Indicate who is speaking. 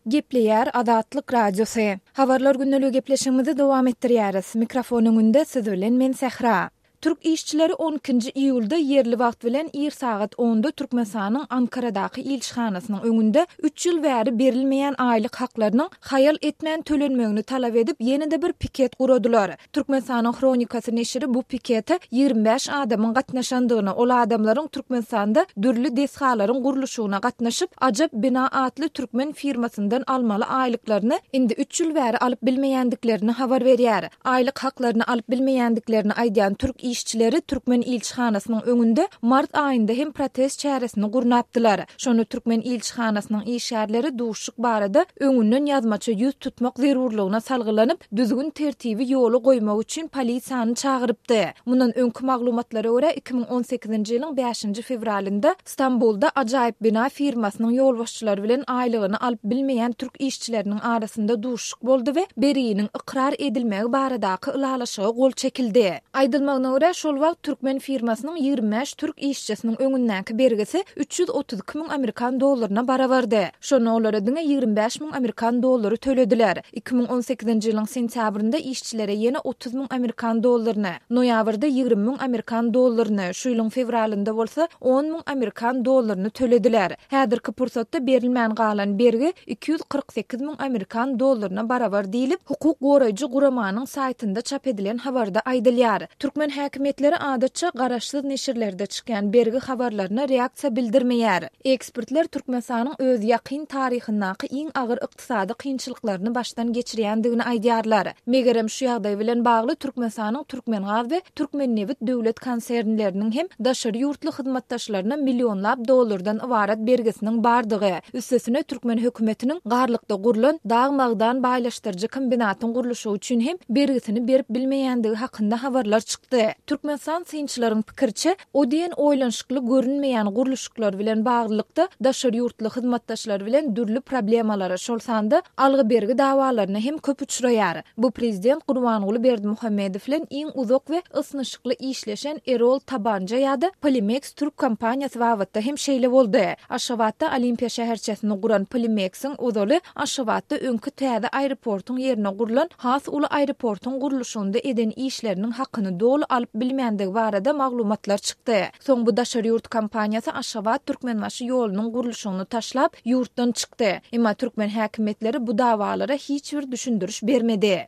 Speaker 1: Gepleýär Azatlyk Radiosy. Habarlar gündeligi gepleşigimizi dowam etdirýäris. Mikrofon öňünde siz bilen men Sähra. Türk işçileri on ikinji iýulda ýerli wagt bilen ir sagat onda Türkmenistanyň Ankaradaky ilçihanasynyň öňünde üç ýyl bäri berilmeýän aýlyk haklarynyň haýal etmän tölenmegini talap edip ýene-de bir piket guradylar. Türkmenistanyň Hronikasy neşiri bu pikete 25 adamyň gatnaşandygyny, ol adamlaryň Türkmenistanda dürli desgalaryň gurluşygyna gatnaşyp, Ajap bina atly türkmen firmasyndan almaly aýlyklaryny indi üç ýyl bäri alyp bilmeýändiklerini habar berýär. Aýlyk haklaryny alyp bilmeýändiklerini aýdýan türk işçileri türkmen ilçihanasynyň öňünde mart aýynda hem protest çäresini gurnapdylar. Şonda türkmen ilçihanasynyň işgärleri duşuşyk barada öňünden ýazmaça ýüz tutmak zerurlygyna salgylanyp, düzgün-tertibi ýola goýmak üçin polisiýany çagyrypdy. Mundan öňki maglumatlara görä, 2018-nji ýylyň bäşinji fewralynda Stambulda Ajaýyp bina firmasynyň ýolbaşçylary bilen aýlygyny alyp bilmeýän türk işçileriniň arasynda duşuşyk boldy we berginiň ykrar edilmegi baradaky ylalaşyga gol çekildi. Aýdylmagyna görä, şol wagt türkmen firmasynyň 25 türk işçisiniň öňündäki bergisi 332 müň amerikan dollaryna barabardy. Şonda olara diňe 25 müň amerikan dollary tölediler. 2018-nji ýylyň sentýabrynda işçilere ýene 30 müň amerikan dollaryny, noýabrda 20 müň amerikan dollaryny, şu ýylyň fewralynda bolsa on müň amerikan dollaryny tölediler. Häzirki pursatda berilmän galan bergi 248 müň amerikan dollaryna barabar diýlip, hukuk goraýjy guramanyň saýtynda çap edilen habarda aýdylýar. Türkmen häkimiýetleri adatça garaşsyz neşirlerde çykýan bergi habarlaryna reaksiýa bildirmeýär. Ekspertler Türkmenistanyň öz ýakyn taryhyndaky iň agyr ykdysady kynçylyklaryny başdan geçirýändigini aýdýarlar. Megerem şu ýagdaý bilen bagly Türkmenistanyň Türkmengaz we Türkmennebit döwlet konsernleriniň hem daşary ýurtly hyzmatdaşlaryna millionlap dollardan ybarat bergisiniň bardygy, üstesine türkmen hökümetiniň Garlykda gurlan dag-magdan baýlaşdyryjy kombinatyň gurluşygy üçin hem bergisini berip bilmeýändigi hakynda habarlar çykdy. Türkmenistan synçylaryň pikiriçe, o diýen oýlanyşykly görünmeýän gurluşyklar bilen baglylykda daşary ýurtly hyzmatdaşlar bilen dürli problemalara, şol sanda algy-bergi dawalaryna hem köp uçraýar. Bu prezident Gurbanguly Berdimuhamedow bilen iň uzak we ysnyşykly işleşen Erol Tabanja ýa-da Polimeks türk kompaniýasy babatda hem şeýle boldy. Aşgabatda Olimpiýa şäherçesini guran Polimeksiň ozaly Aşgabatda öňki täze aeroportuň ýerine gurlan has uly aeroportuň gurluşygynda eden işleriniň hakyny doly alyp bilmändigi barada maglumatlar çykdy. Soň bu daşary ýurt kompaniýasy Aşgabat-Türkmenbaşy ýolunyň gurluşygyny taşlap, ýurtdan çykdy. Emma türkmen häkimiýetleri bu dawalara hiç bir düşündiriş bermedi.